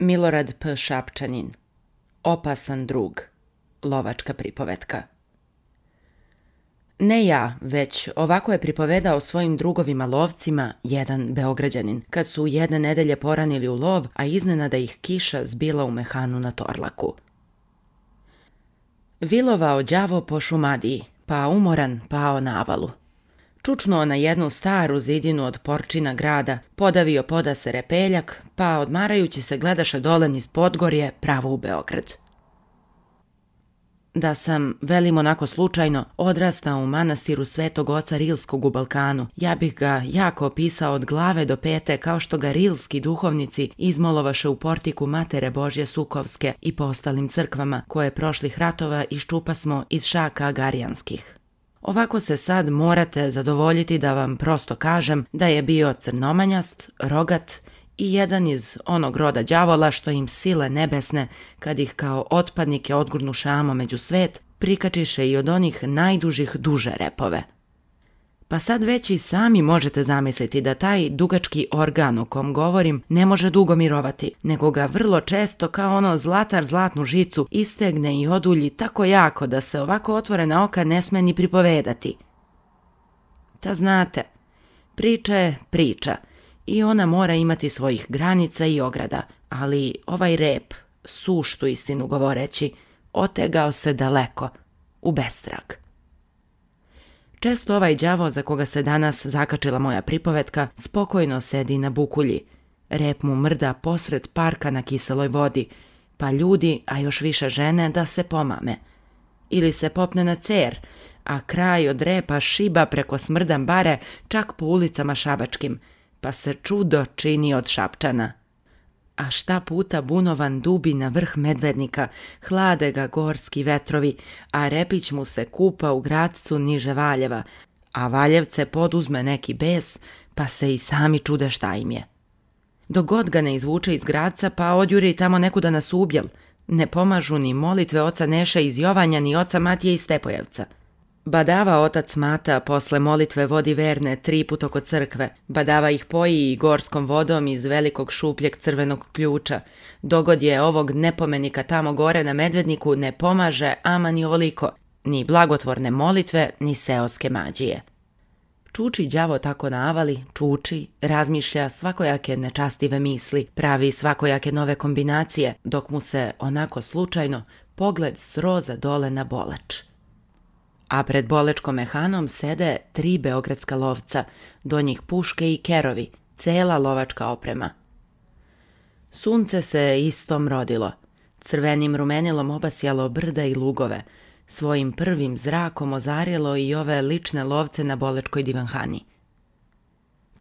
Milorad P. Šapčanin. Opasan drug. Lovačka pripovetka. Ne ja, već ovako je pripovedao svojim drugovima lovcima jedan Beograđanin, kad su jedne nedelje poranili u lov, a iznenada ih kiša zbila u mehanu na Torlaku. Vilovao đavo po Šumadiji, pa umoran pao na avalu. Čučnuo na jednu staru zidinu od porčina grada, podavio podase repeljak, pa odmarajući se gledaše dole niz Podgorje pravo u Beograd. Da sam, velim onako slučajno, odrastao u manastiru Svetog oca Rilskog u Balkanu, ja bih ga jako opisao od glave do pete kao što ga rilski duhovnici izmolovaše u portiku Matere Božje Sukovske i po ostalim crkvama koje prošlih ratova iščupasmo iz šaka agarijanskih. Ovako se sad morate zadovoljiti da vam prosto kažem da je bio crnomanjast, rogat i jedan iz onog roda đavola što im sile nebesne, kad ih kao otpadnike odgurnu šamo među svet, prikačiše i od onih najdužih duže repove. Pa sad već i sami možete zamisliti da taj dugački organ o kom govorim ne može dugo mirovati, nego ga vrlo često kao ono zlatar zlatnu žicu istegne i odulji tako jako da se ovako otvorena oka ne sme ni pripovedati. Ta znate, priča je priča i ona mora imati svojih granica i ograda, ali ovaj rep, suštu istinu govoreći, otegao se daleko, u bestrag. Često ovaj đavo za koga se danas zakačila moja pripovetka spokojno sedi na bukulji. Rep mu mrda posred parka na kiseloj vodi, pa ljudi, a još više žene, da se pomame. Ili se popne na cer, a kraj od repa šiba preko smrdan bare čak po ulicama šabačkim, pa se čudo čini od Šapčana. A šta puta bunovan dubi na vrh Medvednika, hlade ga gorski vetrovi, a repić mu se kupa u gradcu niže Valjeva, a Valjevce poduzme neki bes, pa se i sami čude šta im je. Dok god ga ne izvuče iz gradca, pa odjuri tamo nekuda na Subjel, ne pomažu ni molitve oca Neše iz Jovanja, ni oca Matije iz Stepojevca. Badava otac Mata posle molitve vodi verne 3 put oko crkve, badava ih poji i gorskom vodom iz velikog šupljeg crvenog ključa. Dogod je ovog nepomenika tamo gore na Medvedniku ne pomaže ama ni ovoliko, ni blagotvorne molitve, ni seoske mađije. Čuči đavo tako na avali, čuči, razmišlja svakojake nečastive misli, pravi svakojake nove kombinacije, dok mu se, onako slučajno, pogled sroza dole na Boleč. A pred bolečkom mehanom sede 3 beogradska lovca, do njih puške i kerovi, cela lovačka oprema. Sunce se istom rodilo, crvenim rumenilom obasjalo brda i lugove, svojim prvim zrakom ozarjelo i ove lične lovce na bolečkoj divanhani.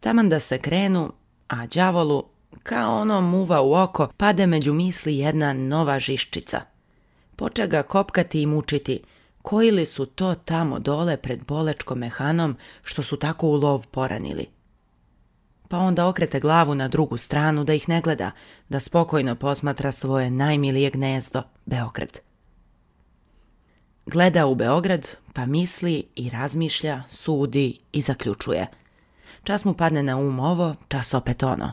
Taman da se krenu, a đavolu, kao ono muva u oko, pade među misli jedna nova žiščica. Poče ga kopkati i mučiti, koji li su to tamo dole pred bolečkom mehanom što su tako u lov poranili. Pa onda okrete glavu na drugu stranu da ih ne gleda, da spokojno posmatra svoje najmilije gnezdo, Beograd. Gleda u Beograd, pa misli i razmišlja, sudi i zaključuje. Čas mu padne na um ovo, čas opet ono.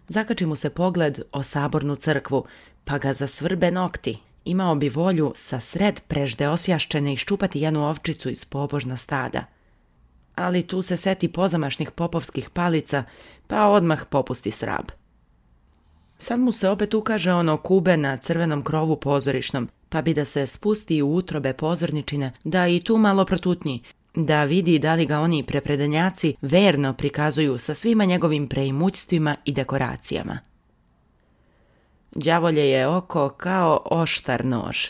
Zakači mu se pogled o sabornu crkvu, pa ga zasvrbe nokti. Imao bi volju sa sred prežde osjaščene iščupati jednu ovčicu iz pobožna stada. Ali tu se seti pozamašnih popovskih palica, pa odmah popusti srab. Sad mu se opet ukaže ono kube na crvenom krovu pozorišnom, pa bi da se spusti u utrobe pozorničine, da i tu malo protutnji, da vidi da li ga oni prepredanjaci verno prikazuju sa svima njegovim preimućstvima i dekoracijama. Đavolje je oko kao oštar nož.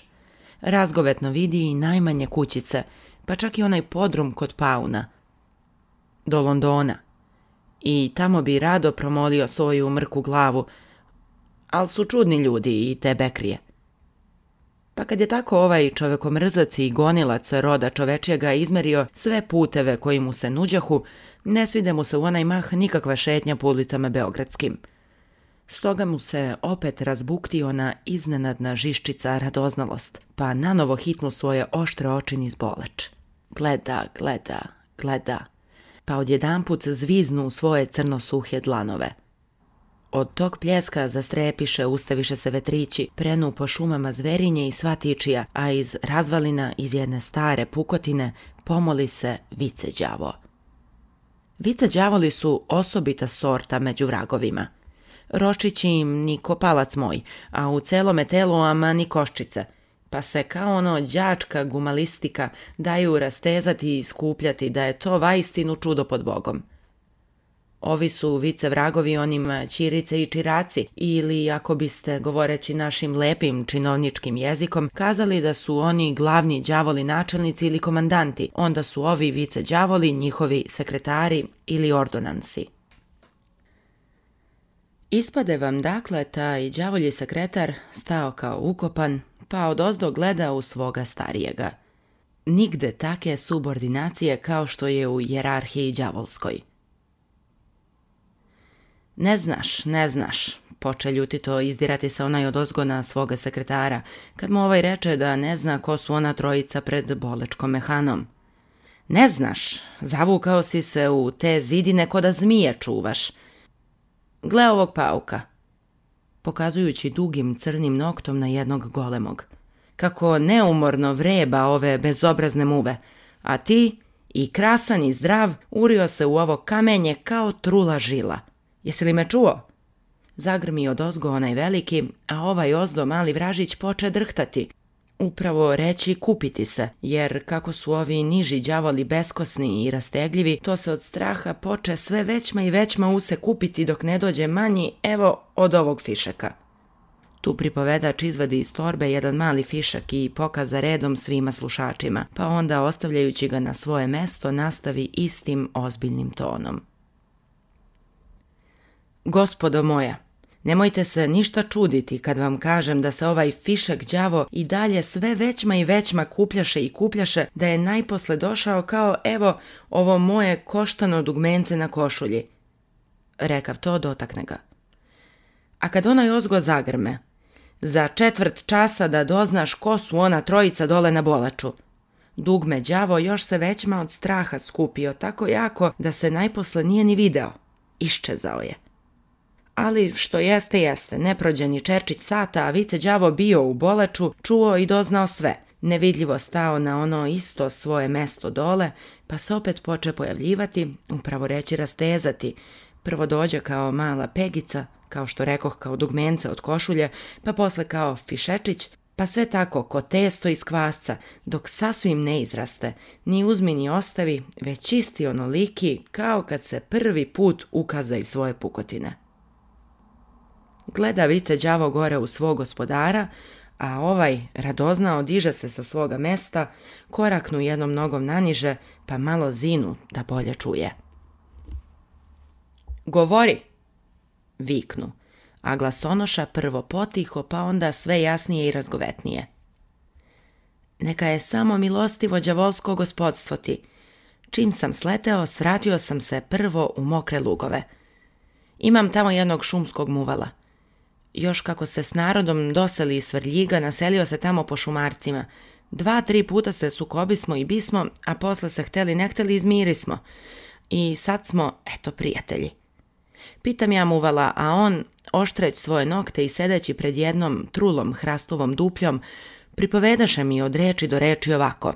Razgovetno vidi i najmanje kućice, pa čak i onaj podrum kod Pauna. Do Londona. I tamo bi rado promolio svoju mrku glavu, ali su čudni ljudi i te bekrije. Pa kad je tako ovaj čovekomrzac i gonilac roda čovečjega izmerio sve puteve koji mu se nuđahu, ne svide mu se u onaj mah nikakva šetnja po ulicama beogradskim. Stoga mu se opet razbuktio ona iznenadna žiščica radoznalost, pa nanovo hitnu svoje oštre oči niz Boleč. Gleda, gleda, gleda, pa odjedanput zviznu u svoje crnosuhe dlanove. Od tog pljeska zastrepiše, ustaviše se vetrići, prenu po šumama zverinje i svatičija, a iz razvalina iz jedne stare pukotine pomoli se vice đavo. Vice đavoli su osobita sorta među vragovima. Ročići im ni kopalac moj, a u celome telu ama ni koščice, pa se kao ono đačka gumalistika daju rastezati i skupljati da je to vaistinu čudo pod Bogom. Ovi su vice vragovi onima ćirice i čiraci, ili ako biste, govoreći našim lepim činovničkim jezikom, kazali da su oni glavni đavoli načelnici ili komandanti, onda su ovi vice đavoli njihovi sekretari ili ordonansi. Ispade vam dakle taj đavolji sekretar stao kao ukopan, pa odozdo gleda u svoga starijega. Nigde take subordinacije kao što je u hijerarhiji đavolskoj. Ne znaš, poče ljutito izdirati se onaj odozgo na svoga sekretara, kad mu ovaj reče da ne zna ko su ona trojica pred bolečkom mehanom. Ne znaš, zavukao si se u te zidine ko da zmije čuvaš. Gle ovog pauka, pokazujući dugim crnim noktom na jednog golemog. Kako neumorno vreba ove bezobrazne muve, a ti, i krasan i zdrav, urio se u ovo kamenje kao trula žila. Jesi li me čuo? Zagrmi odozgo onaj veliki, a ovaj ozdo mali vražić poče drhtati. Upravo reći kupiti se, jer kako su ovi niži đavoli beskosni i rastegljivi, to se od straha poče sve većma i većma use kupiti dok ne dođe manji, evo, od ovog fišeka. Tu pripovedač izvadi iz torbe jedan mali fišak i pokaza redom svima slušačima, pa onda ostavljajući ga na svoje mesto nastavi istim ozbiljnim tonom. Gospodo moja, nemojte se ništa čuditi kad vam kažem da se ovaj fišak đavo i dalje sve većma i većma kupljaše, da je najposle došao kao evo ovo moje koštano dugmence na košulji. Rekav to, dotakne ga. A kad onaj ozgo zagrme, za 1/4 časa da doznaš ko su ona trojica dole na bolaču. Dugme đavo još se većma od straha skupio tako jako da se najposle nije ni video. Iščezao je. Ali što jeste, ne prođe ni čerčić sata, a vice đavo bio u bolaču, čuo i doznao sve. Nevidljivo stao na ono isto svoje mesto dole, pa se opet poče pojavljivati, upravo reći rastezati. Prvo dođe kao mala pegica, kao što rekoh kao dugmence od košulje, pa posle kao fišečić, pa sve tako ko testo iz kvasca, dok sasvim ne izraste, ni uzmi ni ostavi, već čisti onoliki kao kad se prvi put ukaza iz svoje pukotine. Gleda vice đavo gore u svog gospodara, a ovaj radoznao diže se sa svoga mesta, koraknu jednom nogom naniže, pa malo zinu da bolje čuje. Govori, viknu, a glasonoša prvo potiho, pa onda sve jasnije i razgovetnije. Neka je samo milostivo đavolsko gospodstvo ti. Čim sam sleteo, svratio sam se prvo u mokre lugove. Imam tamo jednog šumskog muvala. Još kako se s narodom doseli iz Svrljiga, naselio se tamo po šumarcima. 2-3 puta se sukobismo i bismo, a posle se hteli ne hteli izmirismo. I sad smo, eto, prijatelji. Pitam ja muvala, a on, oštreć svoje nokte i sedeći pred jednom trulom hrastovom dupljom, pripovedaše mi od reči do reči ovako.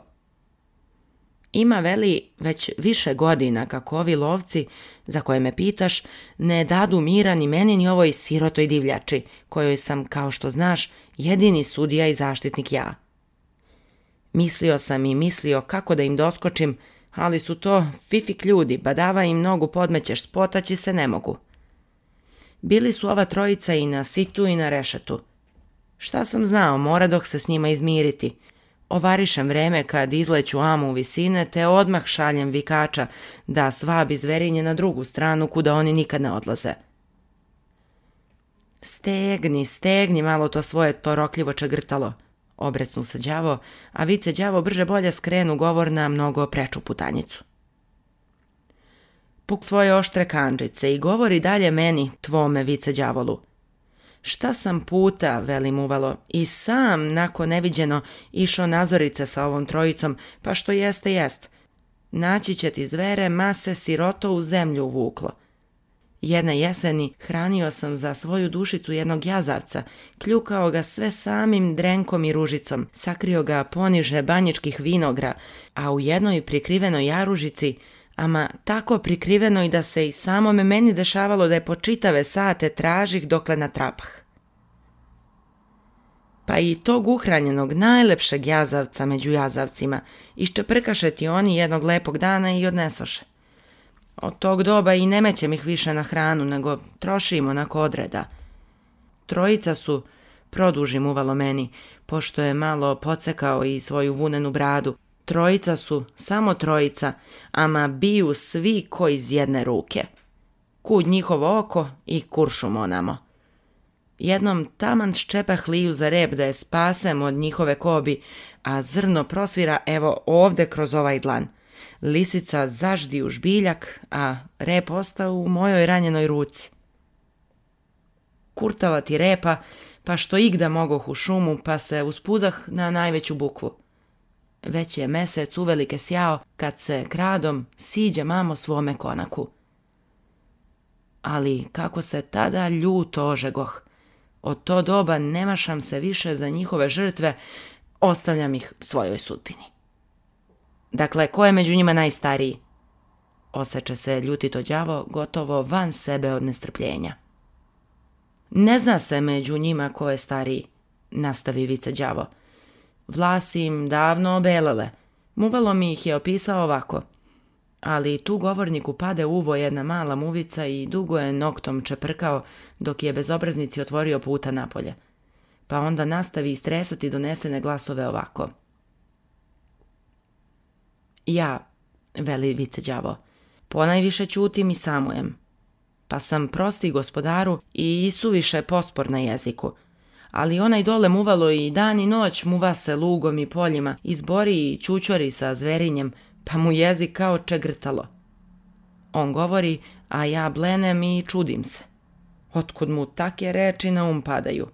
Ima, veli, već više godina kako ovi lovci, za koje me pitaš, ne dadu mira ni meni ni ovoj sirotoj divljači, kojoj sam, kao što znaš, jedini sudija i zaštitnik ja. Mislio sam i mislio kako da im doskočim, ali su to fifik ljudi, badava im nogu podmećeš, spotaći se ne mogu. Bili su ova trojica i na situ i na rešetu. Šta sam znao, mora dok se s njima izmiriti. Ovarišem vreme kad izleću amu u visine, te odmah šaljem vikača da svabi zverinje na drugu stranu kuda oni nikad ne odlaze. Stegni malo to svoje torokljivo čegrtalo, obrecnu se đavo, a vice đavo brže bolje skrenu govor na mnogo preču putanjicu. Puk svoje oštre kandžice i govori dalje meni, tvome vice đavolu. Šta sam puta, velim uvalo, i sam, nako neviđeno, išao nazorice sa ovom trojicom, pa što jest. Naći će ti zvere, mase siroto u zemlju uvuklo. Jedne jeseni hranio sam za svoju dušicu jednog jazavca, kljukao ga sve samim drenkom i ružicom, sakrio ga poniže banjičkih vinogra, a u jednoj prikrivenoj jaružici, ama tako prikrivenoj da se i samome meni dešavalo da je po čitave sate tražih dokle natrapah. Pa i tog uhranjenog najlepšeg jazavca među jazavcima iščeprkaše ti oni jednog lepog dana i odnesoše. Od tog doba i ne mećem ih više na hranu, nego trošim onako odreda. Trojica su, produžim uvalo meni, pošto je malo pocekao i svoju vunenu bradu, trojica su, samo trojica, ama biju svi ko iz jedne ruke. Kud njihovo oko i kuršum onamo. Jednom taman ščepah liju za rep da je spasem od njihove kobi, a zrno prosvira evo ovde kroz ovaj dlan. Lisica zaždi u žbiljak, a rep ostao u mojoj ranjenoj ruci. Kurtala ti repa, pa što igda mogoh u šumu, pa se uspuzah na najveću bukvu. Već je mesec uvelike sjao, kad se kradom siđe mamo svome konaku. Ali kako se tada ljuto ožegoh. Od to doba nemašam se više za njihove žrtve, ostavljam ih svojoj sudbini. Dakle, ko je među njima najstariji? Oseče se ljutito đavo, gotovo van sebe od nestrpljenja. Ne zna se među njima ko je stariji, nastavi vice đavo. Vlasi im davno obelele, muvalo mi ih je opisao ovako. Ali tu govorniku pade uvo jedna mala muvica i dugo je noktom čeprkao dok je bezobraznici otvorio puta napolje. Pa onda nastavi istresati donesene glasove ovako. Ja, veli vice đavo, ponajviše ćutim i samujem. Pa sam prosti gospodaru i isuviše pospor na jeziku. Ali onaj dole muvalo i dan i noć muva se lugom i poljima, izbori i čučori sa zverinjem, pa mu jezik kao čegrtalo. On govori, a ja blenem i čudim se. Otkud mu take reči na padaju?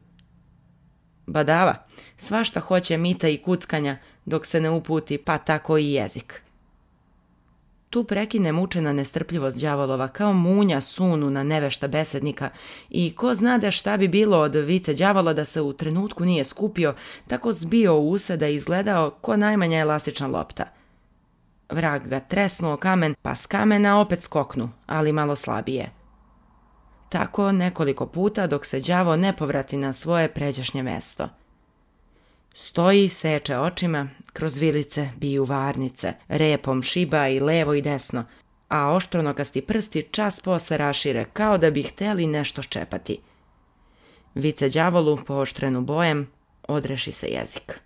Badava, svašta hoće mita i kuckanja, dok se ne uputi, pa tako i jezik. Tu prekine mučena nestrpljivost đavolova kao munja sunu na nevešta besednika i ko znade šta bi bilo od vice đavola da se u trenutku nije skupio, tako zbio u use da je izgledao ko najmanja elastična lopta. Vrag ga tresnuo kamen, pa s kamena opet skoknu, ali malo slabije. Tako nekoliko puta dok se đavo ne povrati na svoje pređašnje mesto. Stoji, seče očima, kroz vilice biju varnice, repom šiba i levo i desno, a oštronokasti prsti čas posle rašire kao da bi hteli nešto ščepati. Vice đavolu, pooštrenu bojem, odreši se jezik.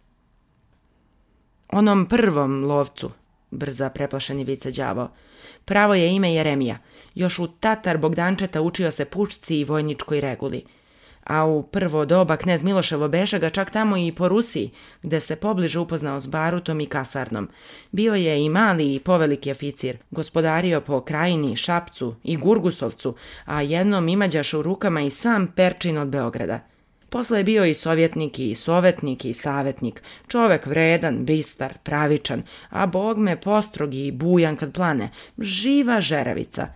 Onom prvom lovcu, brza preplašeni vice đavo, pravo je ime Jeremija, još u Tatar Bogdančeta učio se pušci i vojničkoj reguli. A u prvo doba knez Miloševo beše ga čak tamo i po Rusiji, gde se pobliže upoznao s barutom i kasarnom. Bio je i mali i poveliki oficir, gospodario po Krajini, Šapcu i Gurgusovcu, a jednom imađaš u rukama i sam Perčin od Beograda. Posle je bio i sovjetnik i sovetnik i savetnik, čovek vredan, bistar, pravičan, a bogme postrog i bujan kad plane, živa žeravica.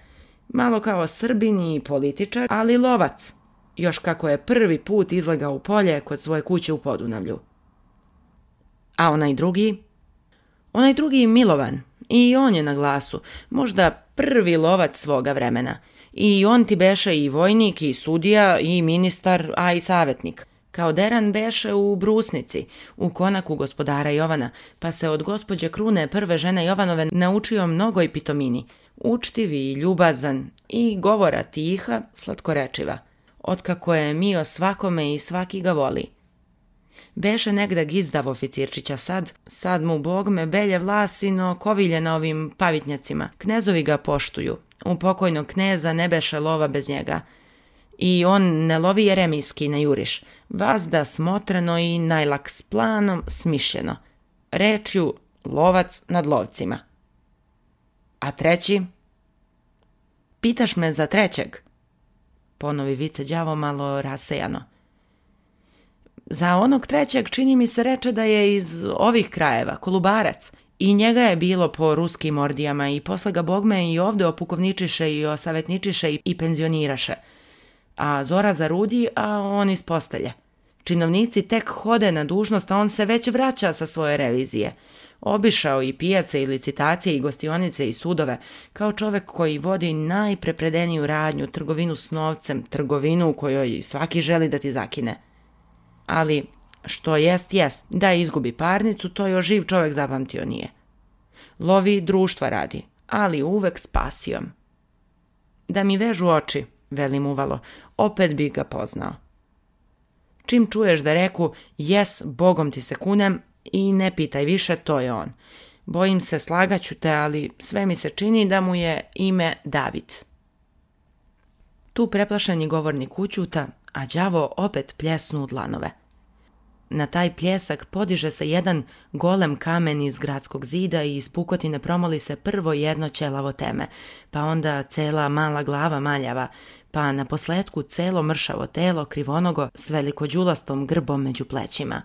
Malo kao Srbin i političar, ali lovac. Još kako je prvi put izlegao u polje kod svoje kuće u Podunavlju. A onaj drugi Milovan, i on je na glasu, možda prvi lovac svoga vremena. I on ti beše i vojnik, i sudija, i ministar, a i savetnik. Kao deran beše u Brusnici, u konaku gospodara Jovana, pa se od gospođe Krune, prve žene Jovanove, naučio mnogo i pitomini. Učtiv i ljubazan, i govora tiha, slatkorečiva. Otkako je mio svakome i svaki ga voli. Beše negda gizdav oficirčića sad mu bogme belje vlasi, no kovilje na ovim pavitnjacima. Knezovi ga poštuju. U pokojnog kneza ne beše lova bez njega. I on ne lovi jeremijski na juriš, vazda smotreno i najlak s planom smišljeno. Rečju lovac nad lovcima. A treći? Pitaš me za trećeg? Ponovi vice đavo malo rasejano. Za onog trećeg čini mi se reče da je iz ovih krajeva, Kolubarac, I njega je bilo po ruskim ordijama i posle ga bogme i ovde opukovničiše i osavetničiše i penzioniraše. A Zora zarudi, a on iz postelje. Činovnici tek hode na dužnost, a on se već vraća sa svoje revizije. Obišao i pijace i licitacije i gostionice i sudove, kao čovek koji vodi najprepredeniju radnju, trgovinu s novcem, trgovinu u kojoj svaki želi da ti zakine. Ali što jest, da izgubi parnicu, to još živ čovek zapamtio nije. Lovi društva radi, ali uvek s pasijom. Da mi vežu oči, velim uvalo, opet bi ga poznao. Čim čuješ da reku, jes, Bogom ti se kunem, i ne pitaj više, to je on. Bojim se, slagaću te, ali sve mi se čini da mu je ime David. Tu preplašeni govornik ućuta, a đavo opet pljesnu u dlanove. Na taj pljesak podiže se jedan golem kamen iz gradskog zida i iz pukotine promoli se prvo jedno ćelavo teme, pa onda cela mala glava maljava, pa na posletku celo mršavo telo krivonogo s velikođulastom grbom među plećima.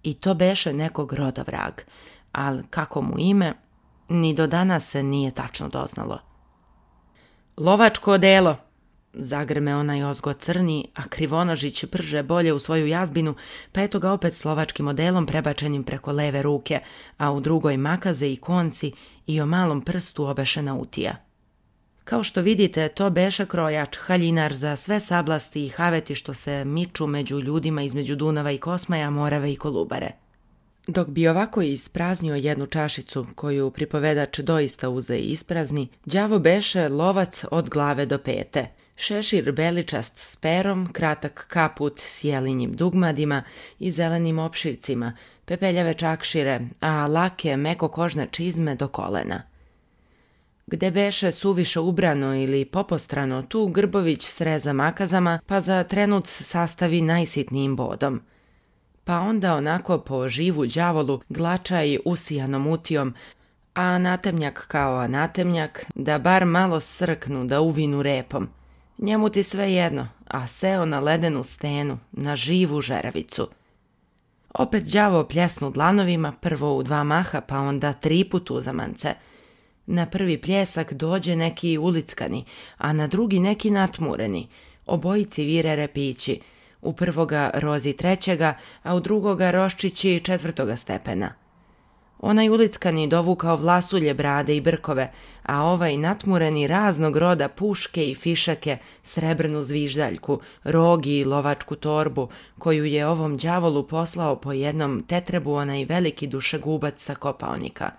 I to beše nekog roda vrag, ali kako mu ime, ni do danas se nije tačno doznalo. Lovačko odelo, zagrme onaj ozgo crni, a Krivonožić brže bolje u svoju jazbinu, pa eto ga opet s lovačkim odelom prebačenim preko leve ruke, a u drugoj makaze i konci i o malom prstu obešena utija. Kao što vidite, to beše krojač, haljinar za sve sablasti i haveti što se miču među ljudima između Dunava i Kosmaja, Morave i Kolubare. Dok bi ovako ispraznio jednu čašicu, koju pripovedač doista uze i isprazni, đavo beše lovac od glave do pete. Šešir beličast s perom, kratak kaput s jelinjim dugmadima i zelenim opšivcima, pepeljave čakšire, a lake mekokožne čizme do kolena. Gde beše suviše ubrano ili popostrano, tu Grbović sreza makazama, pa za trenut sastavi najsitnijim bodom. Pa onda onako po živu đavolu glača i usijanom utijom, a anatemnjak kao anatemnjak, da bar malo srknu, da uvinu repom. Njemu ti sve jedno, a seo na ledenu stenu, na živu žeravicu. Opet đavo pljesnu dlanovima, prvo u 2 maha, pa onda 3 put uzamance. Na prvi pljesak dođe neki ulickani, a na drugi neki natmureni. Obojici vire repići, u prvoga rozi 3., a u drugoga roščići 4. stepena. Onaj ulickani dovukao vlasulje, brade i brkove, a ovaj natmureni raznog roda puške i fišake, srebrnu zviždaljku, rogi i lovačku torbu, koju je ovom đavolu poslao po jednom tetrebu onaj veliki dušegubac sa Kopaonika.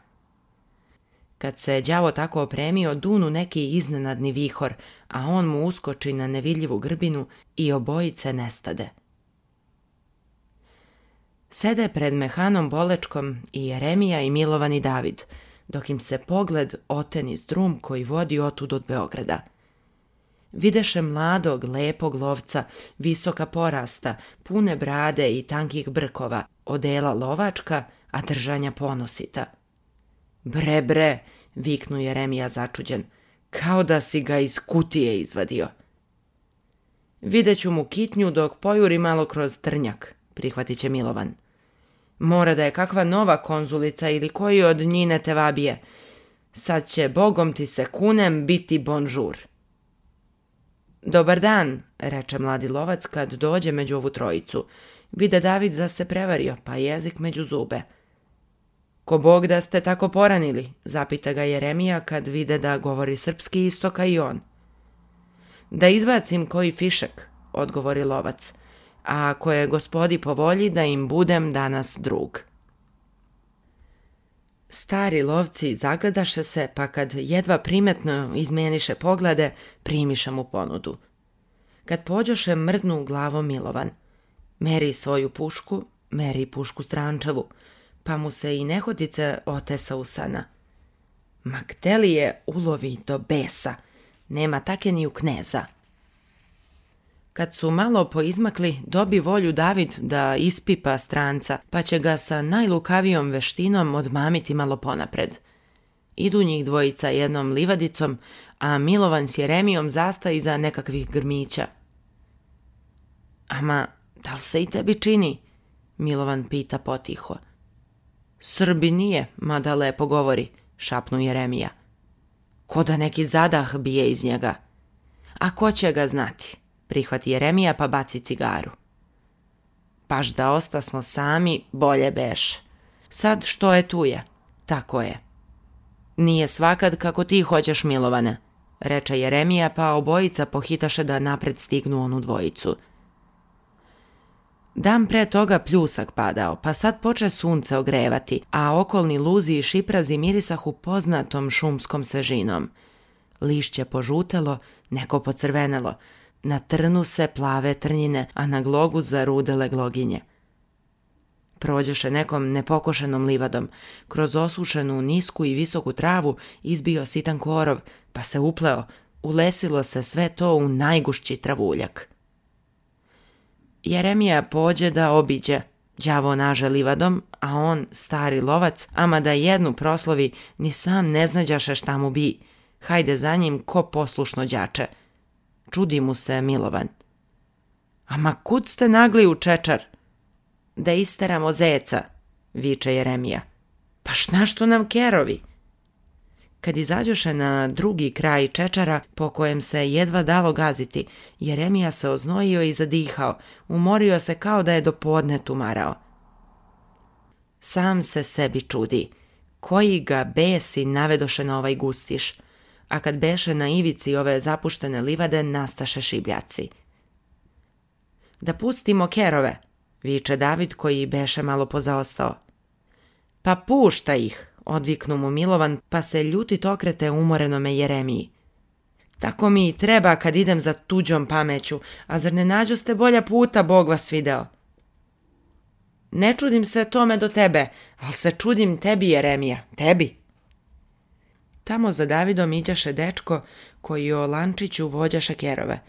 Kad se đavo tako opremio, dunu neki iznenadni vihor, a on mu uskoči na nevidljivu grbinu i obojice nestade. Sede pred mehanom Bolečkom i Jeremija i Milovan i David, dok im se pogled oteni drum koji vodi otud od Beograda. Videše mladog, lepog lovca, visoka porasta, pune brade i tankih brkova, odela lovačka, a držanja ponosita. Bre, viknu Jeremija začuđen, kao da si ga iz kutije izvadio. Videću mu kitnju dok pojuri malo kroz trnjak, prihvatit će Milovan. Mora da je kakva nova konzulica ili koji od njine tevabije. Sad će, Bogom ti se kunem, biti bonžur. Dobar dan, reče mladi lovac kad dođe među ovu trojicu. Vide David da se prevario, pa jezik među zube. Ko Bog da ste tako poranili, zapita ga Jeremija kad vide da govori srpski isto kao i on. Da izbacim koji fišek, odgovori lovac, a ako je gospodi po volji da im budem danas drug. Stari lovci zagledaše se, pa kad jedva primetno izmeniše poglede, primiše mu ponudu. Kad pođoše, mrdnu glavom Milovan. Meri svoju pušku, meri pušku strančevu, pa mu se i nehotice otesa usana. Ma gde li je ulovi do besa, nema take ni u kneza. Kad su malo poizmakli, dobi volju David da ispipa stranca, pa će ga sa najlukavijom veštinom odmamiti malo ponapred. Idu njih dvojica jednom livadicom, a Milovan s Jeremijom zasta iza nekakvih grmića. Ama, da li se i tebi čini? Milovan pita potiho. Srbi nije, mada lepo govori, šapnu Jeremija. Ko da neki zadah bije iz njega. A ko će ga znati, prihvati Jeremija pa baci cigaru. Baš da ostasmo sami, bolje beš. Sad što je tu je, tako je. Nije svakad kako ti hoćeš, Milovane, reče Jeremija, pa obojica pohitaše da napred stignu onu dvojicu. Dan pre toga pljusak padao, pa sad poče sunce ogrevati, a okolni luzi i šiprazi mirisahu poznatom šumskom svežinom. Lišće požutelo, neko pocrvenelo. Na trnu se plave trnjine, a na glogu zarudele gloginje. Prođoše nekom nepokošenom livadom. Kroz osušenu, nisku i visoku travu izbio sitan korov, pa se upleo. Ulesilo se sve to u najgušći travuljak. Jeremija pođe da obiđe. Đavo naže livadom, a on, stari lovac, ama da jednu proslovi, ni sam ne znađaše šta mu bi. Hajde za njim ko poslušno đače. Čudi mu se Milovan. Ama kud ste nagli u čečar? Da isteramo zeca, viče Jeremija. Pa šna što nam kerovi? Kad izađoše na drugi kraj čečara, po kojem se jedva dalo gaziti, Jeremija se oznojio i zadihao, umorio se kao da je do podne tumarao. Sam se sebi čudi, koji ga besi navedoše na ovaj gustiš, a kad beše na ivici ove zapuštene livade, nastaše šibljaci. Da pustimo kerove, viče David koji beše malo pozaostao. Pa pušta ih, odviknu mu Milovan, pa se ljutit okrete umorenome Jeremiji. Tako mi i treba kad idem za tuđom pameću, a zar ne nađoste bolja puta, Bog vas video? Ne čudim se tome do tebe, ali se čudim tebi, Jeremija, tebi. Tamo za Davidom iđaše dečko koji o lančiću vođaše kerove.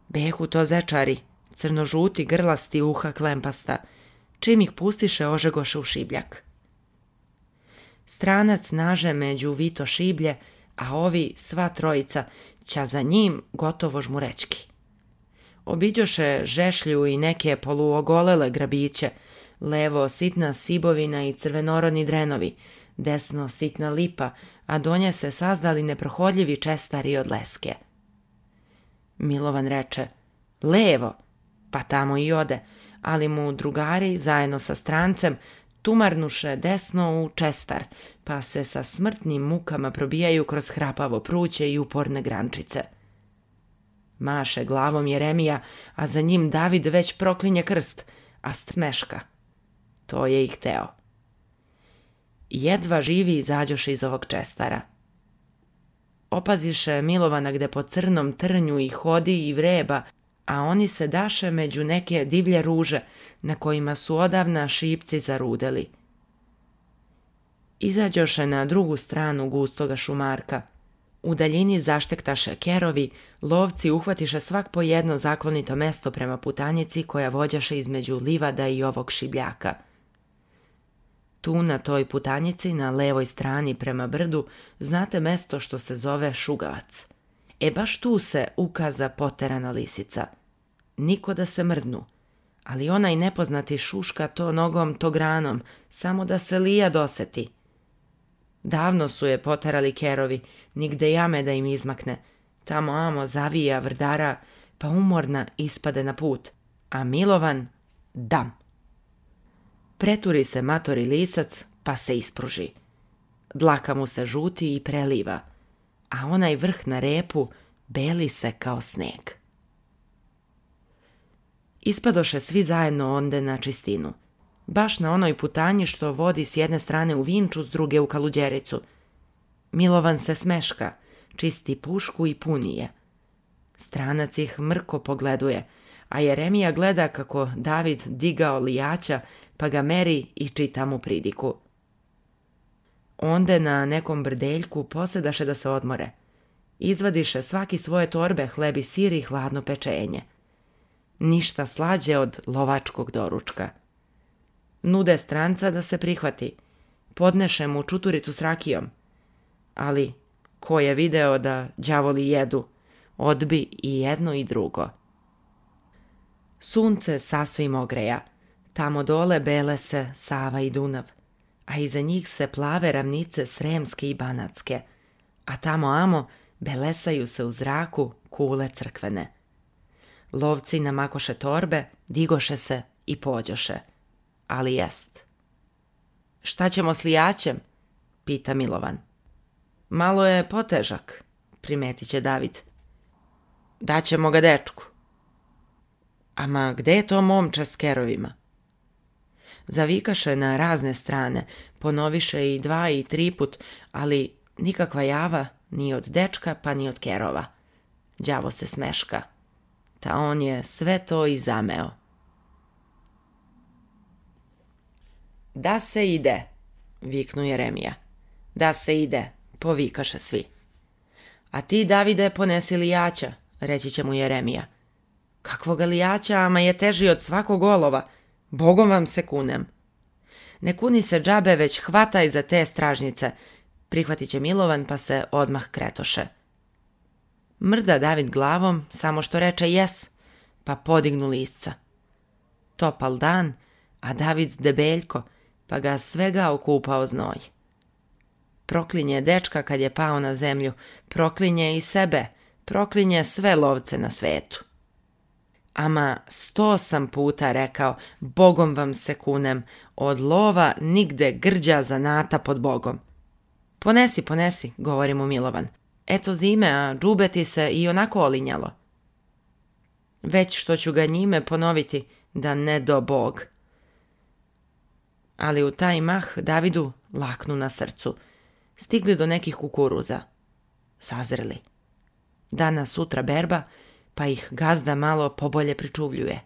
Behu to zečari, crno-žuti, grlasti, uha klempasta. Čim ih pustiše, ožegoše u šibljak. Stranac naže među vito šiblje, a ovi, sva trojica,ća za njim gotovo žmurećki. Obiđoše žešlju i neke poluogolele grabiće, levo sitna sibovina i crvenorodni drenovi, desno sitna lipa, a do nje se sazdali neprohodljivi čestari od leske. Milovan reče, levo, pa tamo i ode, ali mu drugari, zajedno sa strancem, tumarnuše desno u čestar, pa se sa smrtnim mukama probijaju kroz hrapavo pruće i uporne grančice. Maše glavom Jeremija, a za njim David već proklinje krst, a smeška. To je i hteo. Jedva živi izađoše iz ovog čestara. Opaziše Milovana gde po crnom trnju i hodi i vreba, a oni se daše među neke divlje ruže, na kojima su odavna šipci zarudeli. Izađoše na drugu stranu gustoga šumarka. U daljini zaštektaše kerovi, lovci uhvatiše svak po jedno zaklonito mesto prema putanjici koja vođaše između livada i ovog šibljaka. Tu na toj putanjici, na levoj strani prema brdu, znate mesto što se zove Šugavac. Baš tu se ukaza poterana lisica. Niko da se mrdnu, ali onaj nepoznati šuška to nogom, to granom, samo da se lija doseti. Davno su je poterali kerovi, nigde jame da im izmakne. Tamo amo zavija vrdara, pa umorna ispade na put, a Milovan dam. Preturi se matori lisac, pa se ispruži. Dlaka mu se žuti i preliva, a onaj vrh na repu beli se kao sneg. Ispadoše svi zajedno onde na čistinu. Baš na onoj putanji što vodi s jedne strane u Vinču, s druge u Kaluđericu. Milovan se smeška, čisti pušku i puni je. Stranac ih mrko pogleduje, a Jeremija gleda kako David digao lijača, pa ga meri i čita mu pridiku. Onde na nekom brdeljku posedaše da se odmore. Izvadiše svaki svoje torbe, hleb i sir i hladno pečenje. Ništa slađe od lovačkog doručka. Nude stranca da se prihvati. Podneše mu čuturicu s rakijom. Ali ko je video da đavoli jedu, odbi i jedno i drugo. Sunce sasvim ogreja. Tamo dole bele se Sava i Dunav, a iza njih se plave ravnice Sremske i Banatske, a tamo amo belesaju se u zraku kule crkvene. Lovci namakoše torbe, digoše se i pođoše. Ali jest. Šta ćemo s lijaćem? Pita Milovan. Malo je potežak, primetit će David. Daćemo ga dečku. Ama gde je to momče s kerovima? Zavikaše na razne strane, ponoviše i 2 i 3 put, ali nikakva java ni od dečka pa ni od kerova. Đavo se smeška. Ta on je sve to i zameo. Da se ide, viknu Jeremija. Da se ide, povikaše svi. A ti, Davide, ponesi lijaća, reći će mu Jeremija. Kakvoga lijaća, ama je teži od svakog olova. Bogom vam se kunem. Ne kuni se džabe, već hvataj za te stražnice. Prihvatit će Milovan, pa se odmah kretoše. Mrda David glavom, samo što reče jes, pa podignu lisca. Topal dan, a David debeljko, pa ga svega okupao znoj. Proklinje dečka kad je pao na zemlju, proklinje i sebe, proklinje sve lovce na svetu. Ama 100 sam puta rekao, Bogom vam se kunem, od lova nigde grđa zanata pod Bogom. Ponesi, govori mu Milovan. Eto zime, a džube ti se i onako olinjalo. Već što ću ga njime ponoviti, da ne do Bog. Ali u taj mah Davidu laknu na srcu. Stigli do nekih kukuruza. Sazreli. Danas sutra berba, pa ih gazda malo pobolje pričuvljuje.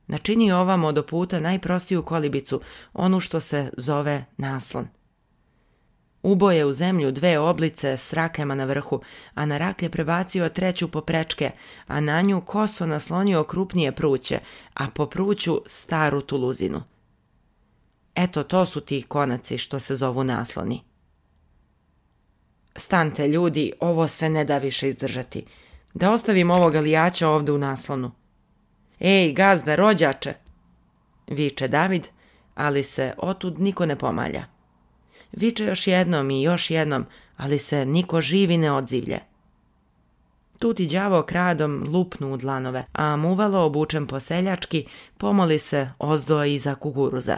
Načini ovamo do puta najprostiju kolibicu, onu što se zove naslon. Uboje u zemlju 2 oblice s rakljama na vrhu, a na raklje prebacio 3 poprečke, a na nju koso naslonio krupnije pruće, a po pruću staru tuluzinu. Eto, to su ti konaci što se zovu nasloni. Stante, ljudi, ovo se ne da više izdržati. Da ostavim ovoga lijača ovde u naslonu. Ej, gazda, rođače, viče David, ali se otud niko ne pomalja. Viče još jednom i još jednom, ali se niko živi ne odzivlje. Tu ti đavo kradom lupnu u dlanove, a muvalo obučen po seljački pomoli se ozdo iza kukuruza.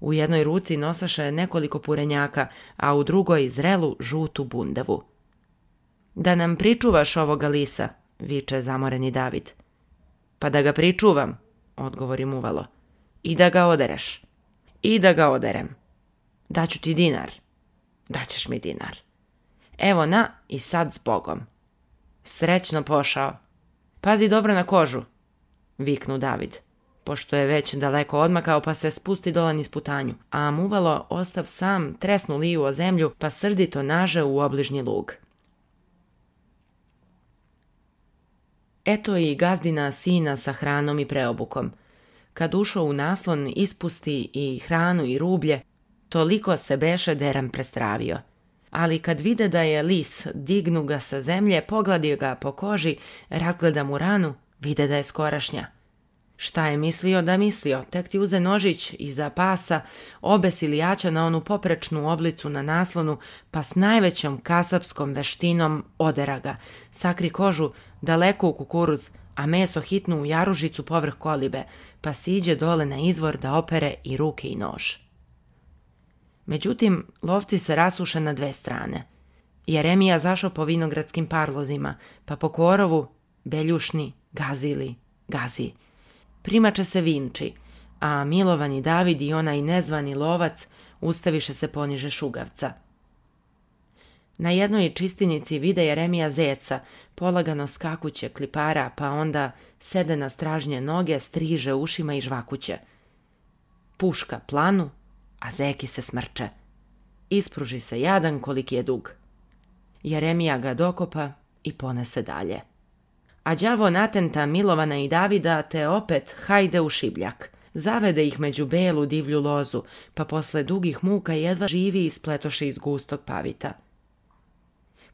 U jednoj ruci nosaše nekoliko purenjaka, a u drugoj zrelu žutu bundevu. Da nam pričuvaš ovoga lisa, viče zamoreni David. Pa da ga pričuvam, odgovori muvalo. I da ga odereš. I da ga oderem. Daću ti dinar. Daćeš mi dinar. Evo na i sad s Bogom. Srećno pošao. Pazi dobro na kožu, viknu David, pošto je već daleko odmakao pa se spusti dole niz putanju, a muvalo ostav sam tresnu liju o zemlju pa srdito naže u obližnji lug. Eto i gazdina sina sa hranom i preobukom. Kad ušao u naslon ispusti i hranu i rublje, toliko se beše deram prestravio. Ali kad vide da je lis, dignu ga sa zemlje, pogladi ga po koži, razgleda mu ranu, vide da je skorašnja. Šta je mislio da mislio, tek ti uze nožić iza pasa, obesi lijača na onu poprečnu oblicu na naslonu, pa s najvećom kasapskom veštinom odera ga, sakri kožu daleko u kukuruz, a meso hitnu u jaružicu povrh kolibe, pa siđe dole na izvor da opere i ruke i nož. Međutim, lovci se rasuše na 2 strane. Jeremija zašao po vinogradskim parlozima, pa po korovu, beljušni, gazi. Primače se vinči, a Milovan i David i onaj nezvani lovac ustaviše se poniže šugavca. Na jednoj čistinici vide Jeremija zeca, polagano skakuće klipara, pa onda sede na stražnje noge, striže ušima i žvakuće. Puška planu, a zeki se smrče. Ispruži se jadan koliki je dug. Jeremija ga dokopa i ponese dalje. A đavo natenta Milovana i Davida te opet hajde u šibljak. Zavede ih među belu divlju lozu, pa posle dugih muka jedva živi ispletoše iz gustog pavita.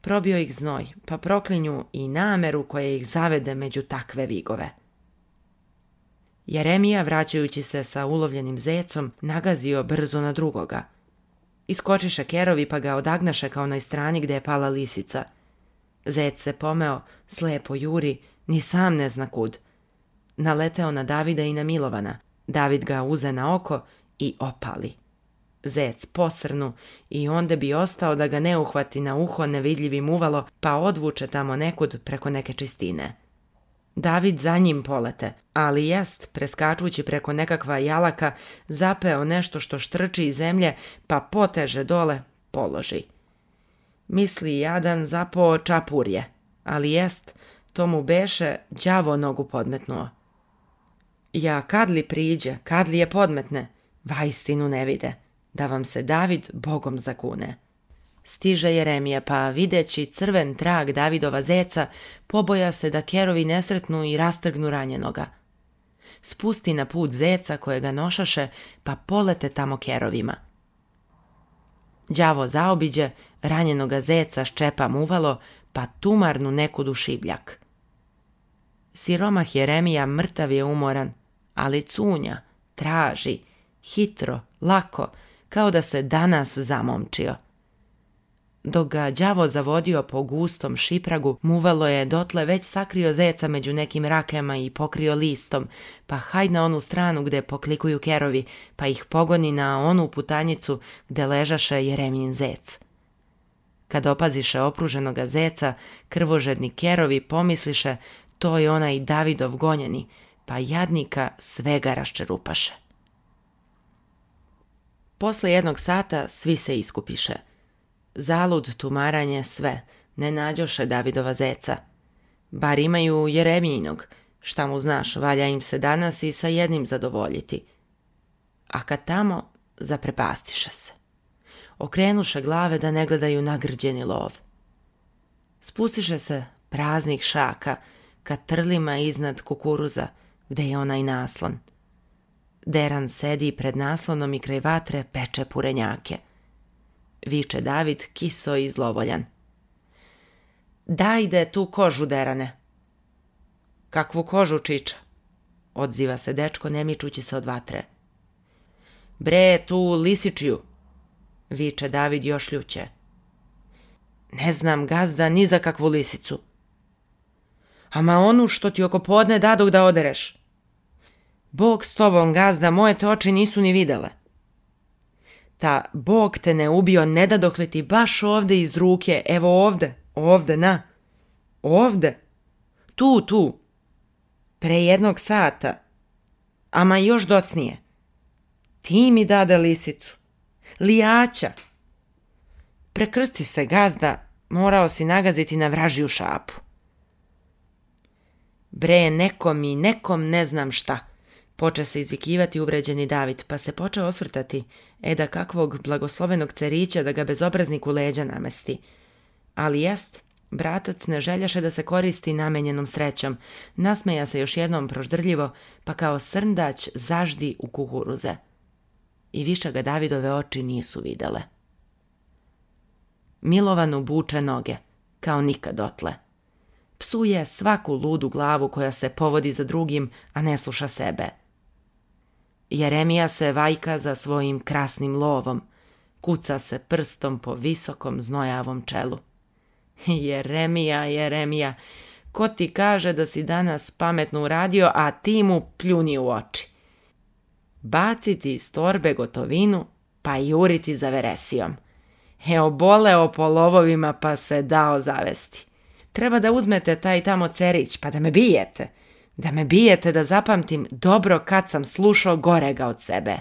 Probio ih znoj, pa proklinju i nameru koja ih zavede među takve vigove. Jeremija, vraćajući se sa ulovljenim zecom, nagazio brzo na drugoga. Iskočiše kerovi pa ga odagnaše kao na strani gde je pala lisica. Zec se pomeo, slepo juri, ni sam ne zna kud. Naleteo na Davida i na Milovana. David ga uze na oko i opali. Zec posrnu i onda bi ostao da ga ne uhvati na uho nevidljivim uvalo pa odvuče tamo nekud preko neke čistine. David za njim polete, ali jest, preskačući preko nekakva jalaka, zapeo nešto što štrči iz zemlje pa poteže dole položi. Misli jadan zapao čapurje, ali jest, to mu beše đavo nogu podmetnuo. Ja kad li priđe, kad li je podmetne, vaistinu ne vide, da vam se David Bogom zakune. Stiže Jeremija, pa videći crven trag Davidova zeca, poboja se da kerovi nesretnu i rastrgnu ranjenoga. Spusti na put zeca koje ga nošaše, pa polete tamo kerovima. Đavo zaobiđe, ranjenoga zeca ščepam uvalo, pa tumarnu nekud u šibljak. Siromah Jeremija mrtav je umoran, ali cunja, traži, hitro, lako, kao da se danas zamomčio. Dok ga đavo zavodio po gustom šipragu, muvalo je dotle već sakrio zeca među nekim rakema i pokrio listom, pa haj na onu stranu gde poklikuju kerovi, pa ih pogoni na onu putanjicu gde ležaše Jeremijin zec. Kad opaziše opruženoga zeca, krvožedni kerovi pomisliše to je onaj Davidov gonjeni, pa jadnika svega raščerupaše. Posle 1 sata svi se iskupiše. Zalud tumaranje sve, ne nađoše Davidova zeca. Bar imaju Jeremijinog, šta mu znaš, valja im se danas i sa jednim zadovoljiti. A kad tamo, zaprepastiše se. Okrenuše glave da ne gledaju nagrđeni lov. Spustiše se praznih šaka ka trlima iznad kukuruza, gde je onaj naslon. Deran sedi pred naslonom i kraj vatre peče purenjake. Viče David kiso i zlovoljan. Dajde tu kožu, Derane. Kakvu kožu, čiča? Odziva se dečko ne mičući se od vatre. Bre, tu lisičiju, viče David još ljuće. Ne znam, gazda, ni za kakvu lisicu. Ama onu što ti oko podne dadog da odereš. Bog s tobom, gazda, moje te oči nisu ni videle. Ta Bog te ne ubio, ne dadok li ti baš ovde iz ruke, evo ovde, na. Ovde. Tu. Pre 1 sata. Ama još docnije. Ti mi dade lisicu. Lijaća. Prekrsti se, gazda, morao si nagaziti na vražiju šapu. Bre, nekom ne znam šta. Poče se izvikivati uvređeni David, pa se poče osvrtati, da kakvog blagoslovenog cerića da ga bezobraznik u leđa namesti. Ali jest, bratac ne željaše da se koristi namenjenom srećom, nasmeja se još jednom proždrljivo, pa kao srndać zaždi u kukuruze. I više ga Davidove oči nisu videle. Milovanu buče noge, kao nikad dotle. Psuje svaku ludu glavu koja se povodi za drugim, a ne sluša sebe. Jeremija se vajka za svojim krasnim lovom, kuca se prstom po visokom znojavom čelu. Jeremija, ko ti kaže da si danas pametno uradio, a ti mu pljuni u oči. Baciti iz torbe gotovinu, pa juriti za veresijom. Oboleo po lovovima pa se dao zavesti. Treba da uzmete taj tamo cerić, pa da me bijete. Da me bijete da zapamtim dobro kad sam slušao gorega od sebe.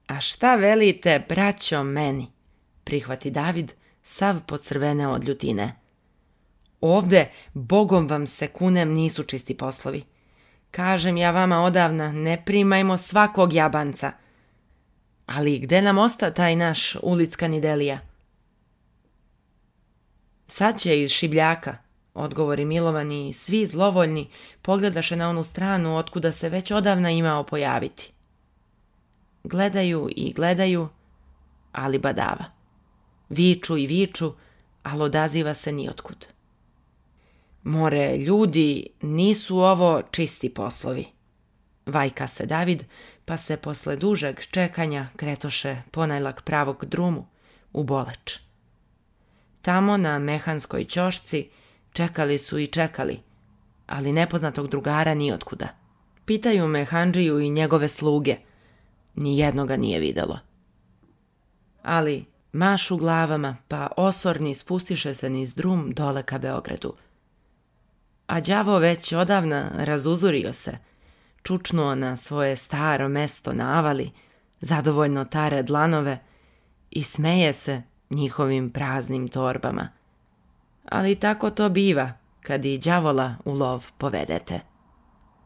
A šta velite, braćo, meni? Prihvati David, sav pocrvene od ljutine. Ovde, Bogom vam se kunem, nisu čisti poslovi. Kažem ja vama odavna, ne primajmo svakog jabanca. Ali gde nam osta taj naš ulickani Delija? Sad će iz šibljaka, odgovori Milovan i svi zlovoljni pogledaše na onu stranu otkuda se već odavna imao pojaviti. Gledaju, ali badava. Viču, ali odaziva se niotkud. More, ljudi, nisu ovo čisti poslovi, Vajka se David, pa se posle dužeg čekanja kretoše ponajlak pravog drumu, u Boleč. Tamo na mehanskoj ćošci čekali su i čekali, ali nepoznatog drugara nijotkuda. Pitaju mehandžiju i njegove sluge, nijednoga nije videlo. Ali mašu glavama, pa osorni spustiše se niz drum dole ka Beogradu. A đavo već odavna razuzurio se, čučnuo na svoje staro mesto na avali, zadovoljno tare dlanove i smeje se njihovim praznim torbama. Ali tako to biva kad i đavola u lov povedete.